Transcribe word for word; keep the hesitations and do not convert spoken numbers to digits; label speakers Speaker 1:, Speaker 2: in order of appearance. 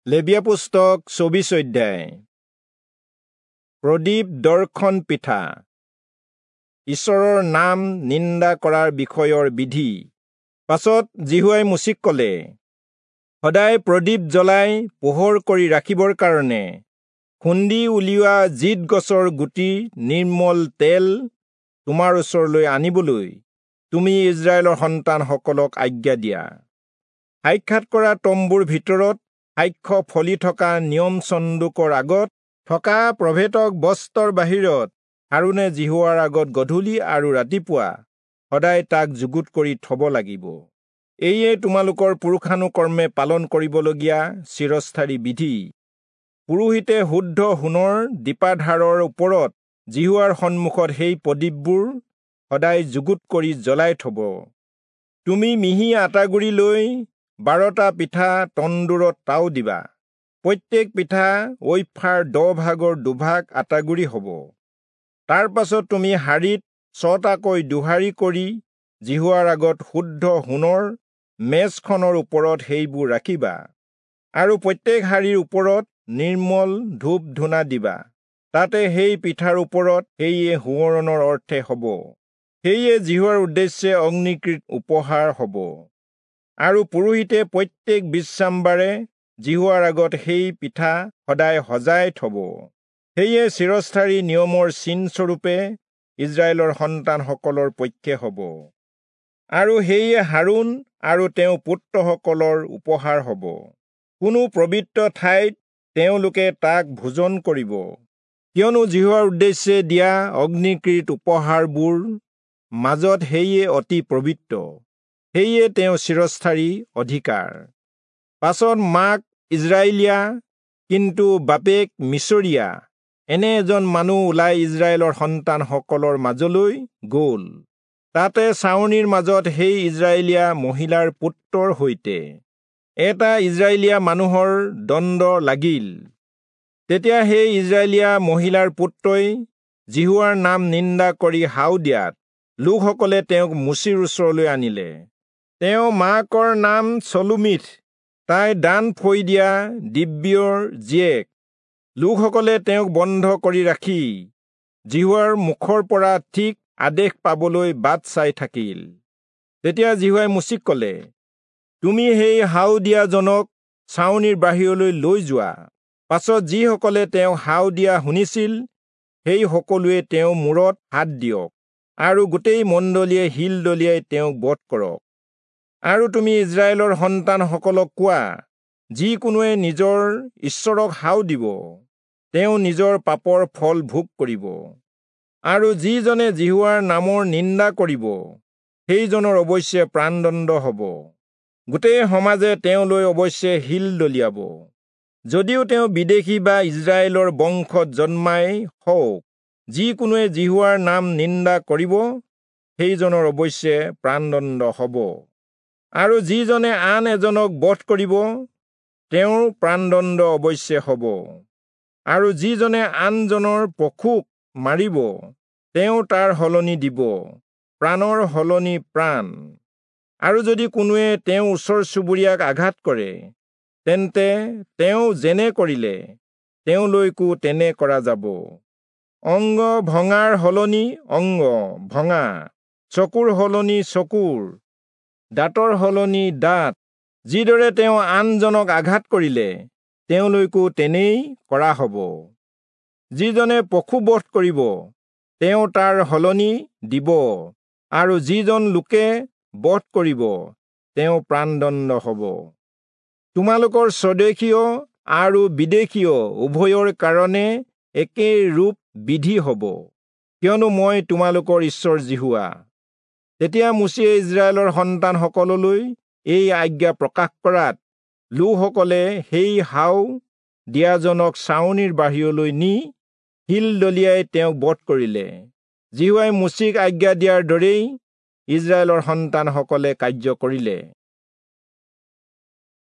Speaker 1: লেবীয়া পুস্তক চৌবিশ অধ্যায়। প্ৰদীপ দৰ্শন পিঠা। ঈশ্বৰৰ নাম নিন্দা কৰাৰ বিষয়ৰ বিধি। পাছত যিহোৱাই মোচিক ক'লে, সদায় প্ৰদীপ জ্বলাই পোহৰ কৰি ৰাখিবৰ কাৰণে খুন্দি উলিওৱা জিত গছৰ গুটিৰ নিৰ্মল তেল তোমাৰ ওচৰলৈ আনিবলৈ তুমি ইজৰাইলৰ সন্তানসকলক আজ্ঞা দিয়া। সাক্ষাৎ কৰা তম্বুৰ ভিতৰত সাক্ষ্য ফলি থকা নিয়ম চন্দুকৰ আগত থকা প্ৰভেদক বস্ত্ৰৰ বাহিৰত হাৰোণে যিহোৱাৰ আগত গধূলি আৰু ৰাতিপুৱা সদায় তাক যুগুত কৰি থব লাগিব। এইয়ে তোমালোকৰ পুৰুষানুকৰ্মে পালন কৰিবলগীয়া চিৰস্থায়ী বিধি। পুৰোহিতে শুদ্ধ সোণৰ দীপাধাৰৰ ওপৰত যিহোৱাৰ সন্মুখত সেই প্ৰদীপবোৰ সদায় যুগুত কৰি জ্বলাই থব। তুমি মিহি আটাগুড়ি লৈ বাৰটা পিঠা তন্দুৰত তাও দিবা। প্ৰত্যেক পিঠা ঐফাৰ দহ ভাগৰ দুভাগ আটাগুড়ি হ'ব। তাৰ পাছত তুমি হাড়িত ছটাকৈ দুহাৰি কৰি যিহোৱাৰ আগত শুদ্ধ সোণৰ মেজখনৰ ওপৰত সেইবোৰ ৰাখিবা, আৰু প্ৰত্যেক হাড়িৰ ওপৰত নিৰ্মল ধূপ ধূনা দিবা। তাতে সেই পিঠাৰ ওপৰত সেয়ে সোঁৱৰণৰ অৰ্থে হ'ব, সেয়ে যিহোৱাৰ উদ্দেশ্যে অগ্নিকৃত উপহাৰ হ'ব। আৰু পুৰোহিতে প্ৰত্যেক বিশ্ৰামবাৰে যিহোৱাৰ আগত সেই পিঠা সদায় সজাই থব। সেয়ে চিৰস্থায়ী নিয়মৰ চিনস্বৰূপে ইজৰাইলৰ সন্তানসকলৰ পক্ষে হ'ব, আৰু সেয়ে হাৰোণ আৰু তেওঁৰ পুত্ৰসকলৰ উপহাৰ হ'ব। কোনো পবিত্ৰ ঠাইত তেওঁলোকে তাক ভোজন কৰিব, কিয়নো যিহোৱাৰ উদ্দেশ্যে দিয়া অগ্নিকৃত উপহাৰবোৰ মাজত সেয়ে অতি পবিত্ৰ, সেয়ে তেওঁ চিৰস্থায়ী অধিকাৰ। পাছত মাক ইজৰাইলীয়া কিন্তু বাপেক মিচৰীয়া এনে এজন মানুহ ওলাই ইজৰাইলৰ সন্তানসকলৰ মাজলৈ গ'ল। তাতে ছাউনিৰ মাজত সেই ইজৰাইলীয়া মহিলাৰ পুত্ৰৰ সৈতে এটা ইজৰাইলীয়া মানুহৰ দণ্ড লাগিল। তেতিয়া সেই ইজৰাইলীয়া মহিলাৰ পুত্ৰই যিহোৱাৰ নাম নিন্দা কৰি হাও দিয়াত লোকসকলে তেওঁক মোচিৰ ওচৰলৈ আনিলে। তেওঁ মাকৰ নাম চলুমিথ, তাই দান ফৈ দিয়া দিব্যৰ জীয়েক। লোকসকলে তেওঁক বন্ধ কৰি ৰাখি যিহোৱাৰ মুখৰ পৰা ঠিক আদেশ পাবলৈ বাট চাই থাকিল। তেতিয়া যিহোৱাই মোচিক ক'লে, তুমি সেই হাও দিয়াজনক ছাউনিৰ বাহিৰলৈ লৈ যোৱা। পাছত যিসকলে তেওঁ হাও দিয়া শুনিছিল সেই সকলোৱে তেওঁৰ মূৰত হাত দিয়ক, আৰু গোটেই মণ্ডলীয়ে শিল দলিয়াই তেওঁক বধ কৰক। আৰু তুমি ইজৰাইলৰ সন্তানসকলক কোৱা, যিকোনোৱে নিজৰ ঈশ্বৰক হাও দিব, তেওঁ নিজৰ পাপৰ ফল ভোগ কৰিব। আৰু যিজনে যিহোৱাৰ নামৰ নিন্দা কৰিব, সেইজনৰ অৱশ্যে প্ৰাণদণ্ড হ'ব। গোটেই সমাজে তেওঁলৈ অৱশ্যে শিল দলিয়াব, যদিও তেওঁ বিদেশী বা ইজৰাইলৰ বংশত জন্মাই হওক। যিকোনোৱে যিহোৱাৰ নাম নিন্দা কৰিব, সেইজনৰ অৱশ্যে প্ৰাণদণ্ড হ'ব। আৰু যিজনে আন এজনক বধ কৰিব, তেওঁৰ প্ৰাণদণ্ড অৱশ্যে হ'ব। আৰু যিজনে আনজনৰ পশুক মাৰিব, তেওঁ তাৰ সলনি দিব, প্ৰাণৰ সলনি প্ৰাণ। আৰু যদি কোনোৱে তেওঁৰ ওচৰ চুবুৰীয়াক আঘাত কৰে, তেন্তে তেওঁ যেনে কৰিলে তেওঁলৈকো তেনে কৰা যাব। অংগ ভঙাৰ সলনি অংগ ভঙা, চকুৰ সলনি চকুৰ, দাঁতৰ সলনি দাঁত। যিদৰে তেওঁ আনজনক আঘাত কৰিলে, তেওঁলৈকো তেনেই কৰা হ'ব। যিজনে পশু বধ কৰিব, তেওঁ তাৰ সলনি দিব, আৰু যিজন লোকে বধ কৰিব, তেওঁ প্ৰাণদণ্ড হ'ব। তোমালোকৰ স্বদেশীয় আৰু বিদেশীয় উভয়ৰ কাৰণে একে ৰূপ বিধি হ'ব, কিয়নো মই তোমালোকৰ ঈশ্বৰ যিহোৱা। তেতিয়া মোচিয়ে ইজৰাইলৰ সন্তানসকললৈ এই আজ্ঞা প্ৰকাশ কৰাত লোকসকলে সেই হাও দিয়াজনক ছাউনিৰ বাহিৰলৈ নি শিল দলিয়াই তেওঁক বধ কৰিলে। যিহোৱাই মোচিক আজ্ঞা দিয়াৰ দৰেই ইজৰাইলৰ সন্তানসকলে কাৰ্য কৰিলে।